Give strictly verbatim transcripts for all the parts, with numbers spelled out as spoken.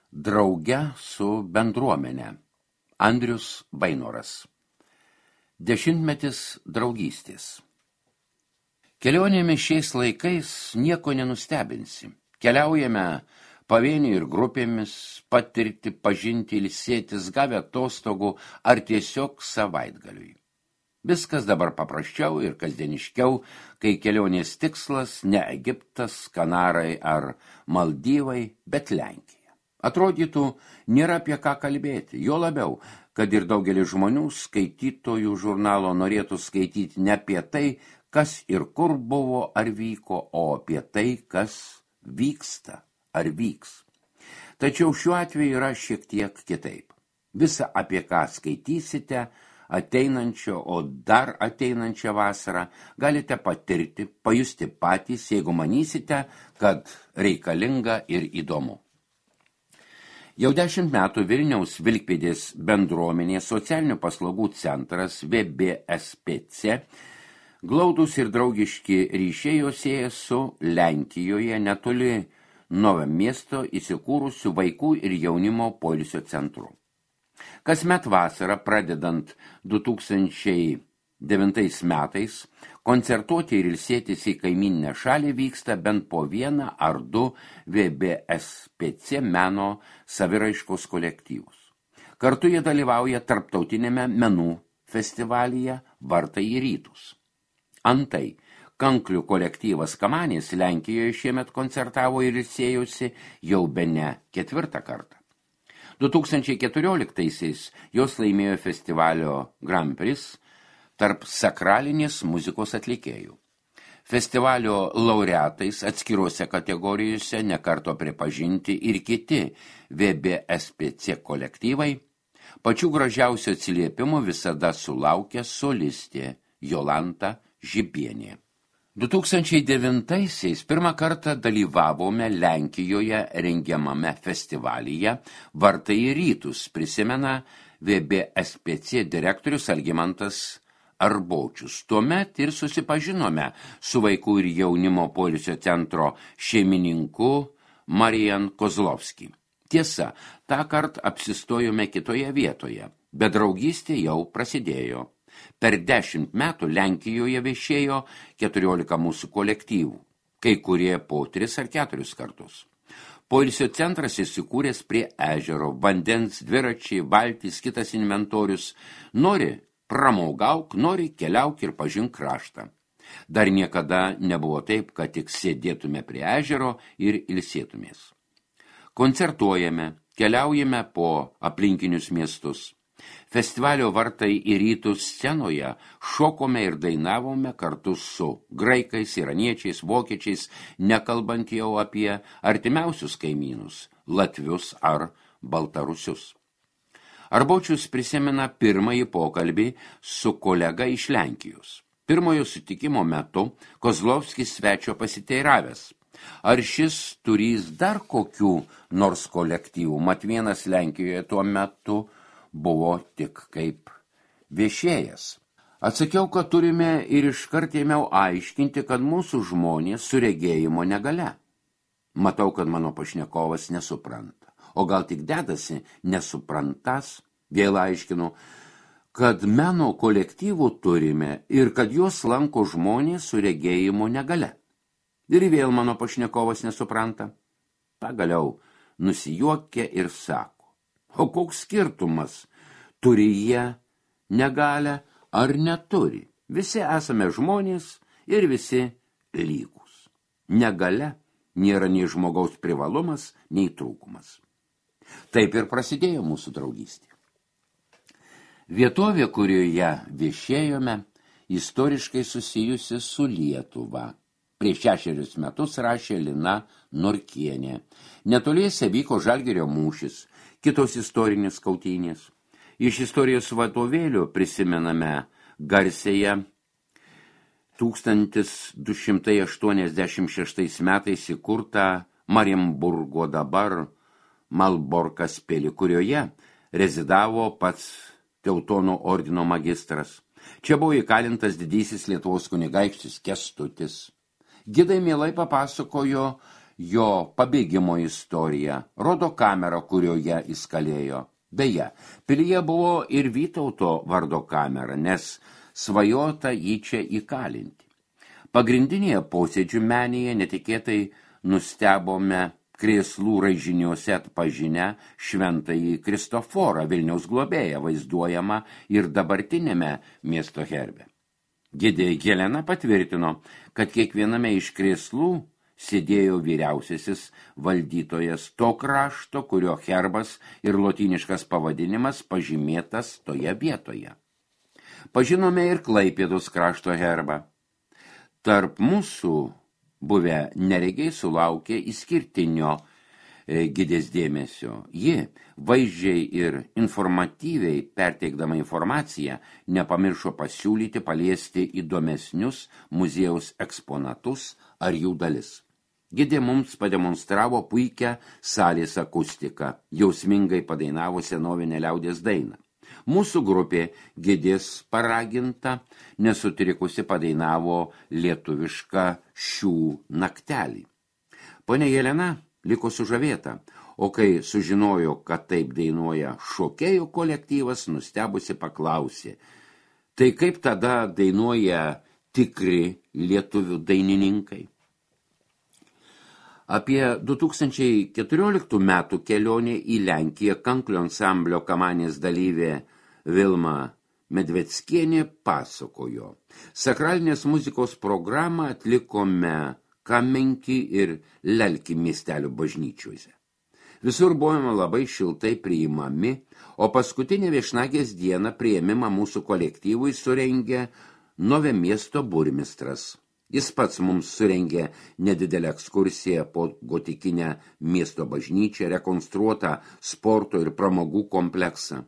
Drauge su bendruomenė. Andrius Vainoras. Dešimtmetis draugystės. Kelionėmis šiais laikais nieko nenustebinsi. Keliaujame pavieniui ir grupėmis, patirti, pažinti, ilsėtis, gavę atostogų ar tiesiog savaitgaliui. Viskas dabar paprasčiau ir kasdieniškiau, kai kelionės tikslas ne Egiptas, Kanarai ar Maldyvai, bet Lenkija. Atrodytų, nėra apie ką kalbėti, jo labiau, kad ir daugelis žmonių skaitytojų žurnalo norėtų skaityti ne apie tai, kas ir kur buvo ar vyko, o apie tai, kas vyksta ar vyks. Tačiau šiuo atveju yra šiek tiek kitaip. Visa, apie ką skaitysite, ateinančio, o dar ateinančią vasarą galite patirti, pajusti patys, jeigu manysite, kad reikalinga ir įdomu. Jau dešimt metų Vilniaus Vilkpėdės bendruomenės socialinių paslaugų centras V B S P C glaudūs ir draugiški ryšiai jos sieja su Lenkijoje netoli Novo miesto įsikūrusių vaikų ir jaunimo poilsio centru. Kasmet vasarą, pradedant du tūkstančiai devintais metais, koncertuoti ir ilsėtis į kaimyninę šalį vyksta bent po vieną ar du V B S P C meno saviraiškos kolektyvus. Kartu jie dalyvauja tarptautinėme menų festivalyje Vartai į rytus. Antai, kanklių kolektyvas Kamanės Lenkijoje šiemet koncertavo ir ilsėjosi jau bene ketvirtą kartą. du tūkstančiai keturioliktaisiais jos laimėjo festivalio Grand Prix tarp sakralinės muzikos atlikėjų. Festivalio laureatais atskiruose kategorijose nekarto pripažinti ir kiti V B S P C kolektyvai, pačių gražiausių atsiliepimų visada sulaukia solistė Jolanta Žibienė. du tūkstančiai devintaisiais pirmą kartą dalyvavome Lenkijoje rengiamame festivalyje Vartai į rytus, prisimena V B S P C direktorius Algimantas Arbočius. Tuomet ir susipažinome su vaikų ir jaunimo poilsio centro šeimininku Marijan Kozlovski. Tiesa, tą kartą apsistojome kitoje vietoje, bet draugystė jau prasidėjo. Per dešimt metų Lenkijoje viešėjo keturiolika mūsų kolektyvų, kai kurie po tris ar keturis kartus. Poilsio centras įsikūręs prie ežero, vandens, dviračiai, valtys, kitas inventorius. Nori pramaugauk, nori keliauk ir pažink kraštą. Dar niekada nebuvo taip, kad tik sėdėtume prie ežero ir ilsėtumės. Koncertuojame, keliaujame po aplinkinius miestus. Festivalio Vartai į rytus scenoje šokome ir dainavome kartu su graikais, iraniečiais, vokiečiais, nekalbant jau apie artimiausius kaimynus, latvius ar baltarusius. Arbočius prisimena pirmąjį pokalbį su kolega iš Lenkijos. Pirmojo sutikimo metu Kozlovskis svečio pasiteiravęs. Ar šis turys dar kokių nors kolektyvų, mat vienas Lenkijoje tuo metu buvo tik kaip viešėjas. Atsakiau, kad turime ir iškart ėmiau aiškinti, kad mūsų žmonės su regėjimo negale. Matau, kad mano pašnekovas nesupranta. O gal tik dedasi nesuprantas, vėl aiškinu, kad meno kolektyvų turime ir kad juos lanko žmonės su regėjimo negale. Ir vėl mano pašnekovas nesupranta. Pagaliau nusijuokia ir sako, o koks skirtumas, turi jie negalę ar neturi. Visi esame žmonės ir visi lygus. Negale nėra nei žmogaus privalumas, nei trūkumas. Taip ir prasidėjo mūsų draugystė. Vietovė, kurioje viešėjome, istoriškai susijusi su Lietuva. Prieš šešerius metus rašė Lina Norkienė. Netoliese vyko Žalgirio mūšis, kitos istorinės kautynės. Iš istorijos vadovėlių prisimename garsėje tūkstantis du šimtai aštuoniasdešimt šeštais metais įkurtą Marienburgo dabar Malborkas pilį, kurioje rezidavo pats Teutono ordino magistras. Čia buvo įkalintas didysis Lietuvos kunigaikštis Kęstutis. Gidai mielai papasakojo jo pabėgimo istoriją, rodo kamerą, kurioje jis kalėjo. Beje, pilyje buvo ir Vytauto vardo kamera, nes svajota jį čia įkalinti. Pagrindinėje posėdžių menėje netikėtai nustebome krėslų raižiniuose atpažinę šventąjį Kristoforą, Vilniaus globėją, vaizduojamą ir dabartinėme miesto herbe. Gidė Helena patvirtino, kad kiekviename iš krėslų sėdėjo vyriausiasis valdytojas to krašto, kurio herbas ir lotyniškas pavadinimas pažymėtas toje vietoje. Pažinome ir Klaipėdos krašto herbą. Tarp mūsų buvę neregiai sulaukė išskirtinio e, gidės dėmesio. Ji, vaizdžiai ir informatyviai perteikdama informaciją, nepamiršo pasiūlyti paliesti įdomesnius muziejaus eksponatus ar jų dalis. Gidė mums pademonstravo puikią salės akustiką, jausmingai padainavo senovinę liaudies dainą. Mūsų grupė Gidės paraginta nesutrikusi padainavo lietuvišką Šių naktelį. Ponia Jelena liko sužavėta, o kai sužinojo, kad taip dainuoja šokėjų kolektyvas, nustebusi paklausė, tai kaip tada dainuoja tikri lietuvių dainininkai? Apie du tūkstančiai keturioliktų metų kelionę į Lenkiją Kanklio ansamblio kamanės dalyvė Vilma Medveckienė pasakojo. Sakralinės muzikos programą atlikome Kamenki ir Lelki miestelių bažnyčiuose. Visur buvome labai šiltai priimami, o paskutinę viešnagės dieną priėmimą mūsų kolektyvui surengė Nove miesto burmistras. Jis pats mums surengė nedidelę ekskursiją po gotikinę miesto bažnyčią, rekonstruotą sporto ir pramogų kompleksą.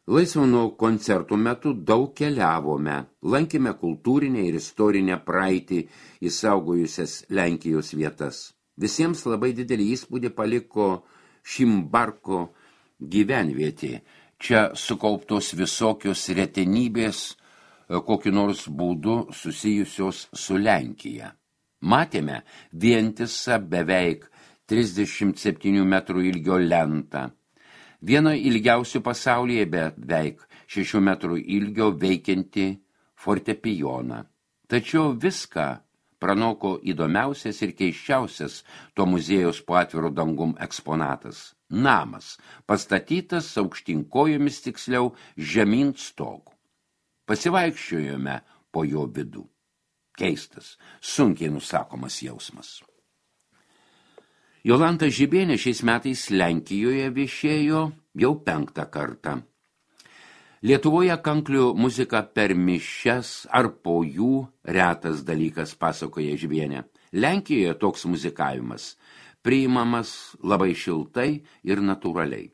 Laisvo nuo koncertų metu daug keliavome, lankėme kultūrinę ir istorinę praeitį įsaugojusias Lenkijos vietas. Visiems labai didelį įspūdį paliko Šimbarko gyvenvietė. Čia sukauptos visokios retenybės, kokiu nors būdu susijusios su Lenkija. Matėme vientisą beveik trisdešimt septynių metrų ilgio lentą. Viena ilgiausių pasaulyje beveik šešių metrų ilgio veikianti fortepijoną. Tačiau viską pranoko įdomiausias ir keiščiausias to muziejaus po atviru dangum eksponatas. Namas, pastatytas aukštinkojomis, tiksliau žemyn stogu. Pasivaikščiojome po jo vidų. Keistas, sunkiai nusakomas jausmas. Jolanta Žibienė šiais metais Lenkijoje viešėjo jau penktą kartą. Lietuvoje kanklių muzika per mišias ar po jų retas dalykas, pasakoja Žibienė. Lenkijoje toks muzikavimas priimamas labai šiltai ir natūraliai.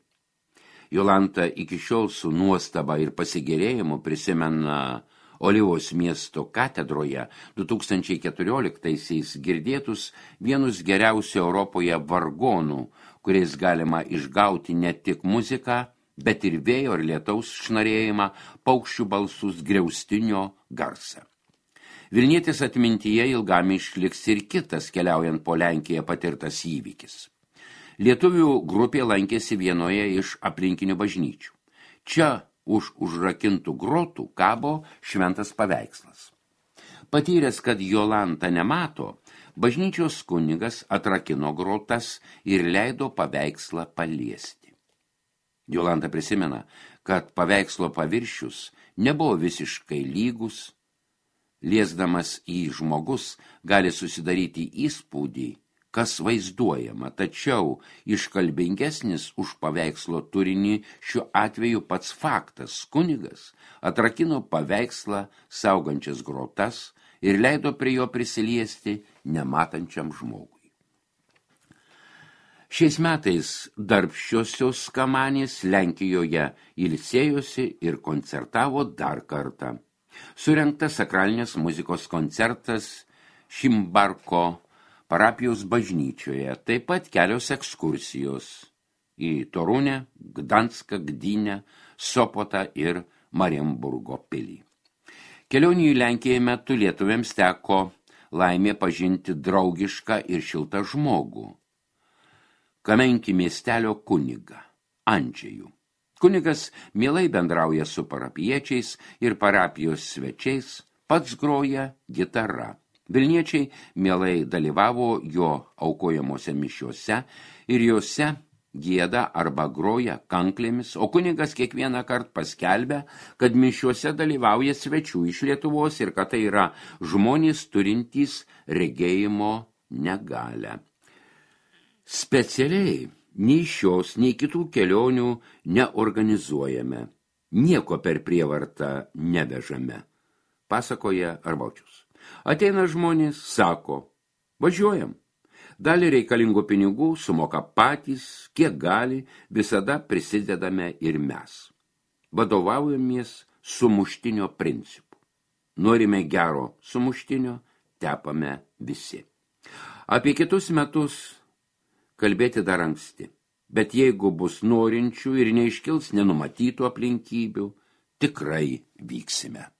Jolanta iki šiol su nuostaba ir pasigėrėjimu prisimena Olivos miesto katedroje du tūkstančiai keturioliktaisiais girdėtus vienus geriausių Europoje vargonų, kuriais galima išgauti ne tik muziką, bet ir vėjo ir lietaus šnarėjimą, paukščių balsus, griaustinio garsą. Vilnietis atmintyje ilgam išliks ir kitas keliaujant po Lenkiją patirtas įvykis. Lietuvių grupė lankėsi vienoje iš aplinkinių bažnyčių. Čia už užrakintų grotų kabo šventas paveikslas. Patyręs, kad Jolanta nemato, bažnyčios kunigas atrakino grotas ir leido paveikslą paliesti. Jolanta prisimena, kad paveikslo paviršius nebuvo visiškai lygus. Liesdamas į žmogus gali susidaryti įspūdį, kas vaizduojama, tačiau iškalbingesnis už paveikslo turinį šiuo atveju pats faktas. Kunigas atrakino paveikslą saugančias grotas ir leido prie jo prisiliesti nematančiam žmogui. Šiais metais darbščiosios kamanės Lenkijoje ilsėjosi ir koncertavo dar kartą. Surengtas sakralinės muzikos koncertas Šimbarko parapijos bažnyčioje, taip pat kelios ekskursijos į Torunę, Gdanską, Gdynę, Sopotą ir Marienburgo pilį. Kelionių į Lenkiją metu lietuviams teko laimė pažinti draugišką ir šiltą žmogų. Kamenki miestelio kunigą, Andžejų. Kunigas mielai bendrauja su parapiečiais ir parapijos svečiais, pats groja gitara. Vilniečiai mielai dalyvavo jo aukojamose mišiuose ir juose gieda arba groja kanklėmis, o kunigas kiekvieną kartą paskelbia, kad mišiuose dalyvauja svečių iš Lietuvos ir kad tai yra žmonės turintys regėjimo negalią. Specialiai nei šios, nei kitų kelionių neorganizuojame, nieko per prievartą nevežame, pasakoja Arbaučius. Ateina žmonės, sako, važiuojam. Dalį reikalingų pinigų sumoka patys, kiek gali, visada prisidedame ir mes. Vadovaujamės sumuštinio principu. Norime gero sumuštinio, tepame visi. Apie kitus metus kalbėti dar anksti, bet jeigu bus norinčių ir neiškils nenumatytų aplinkybių, tikrai vyksime.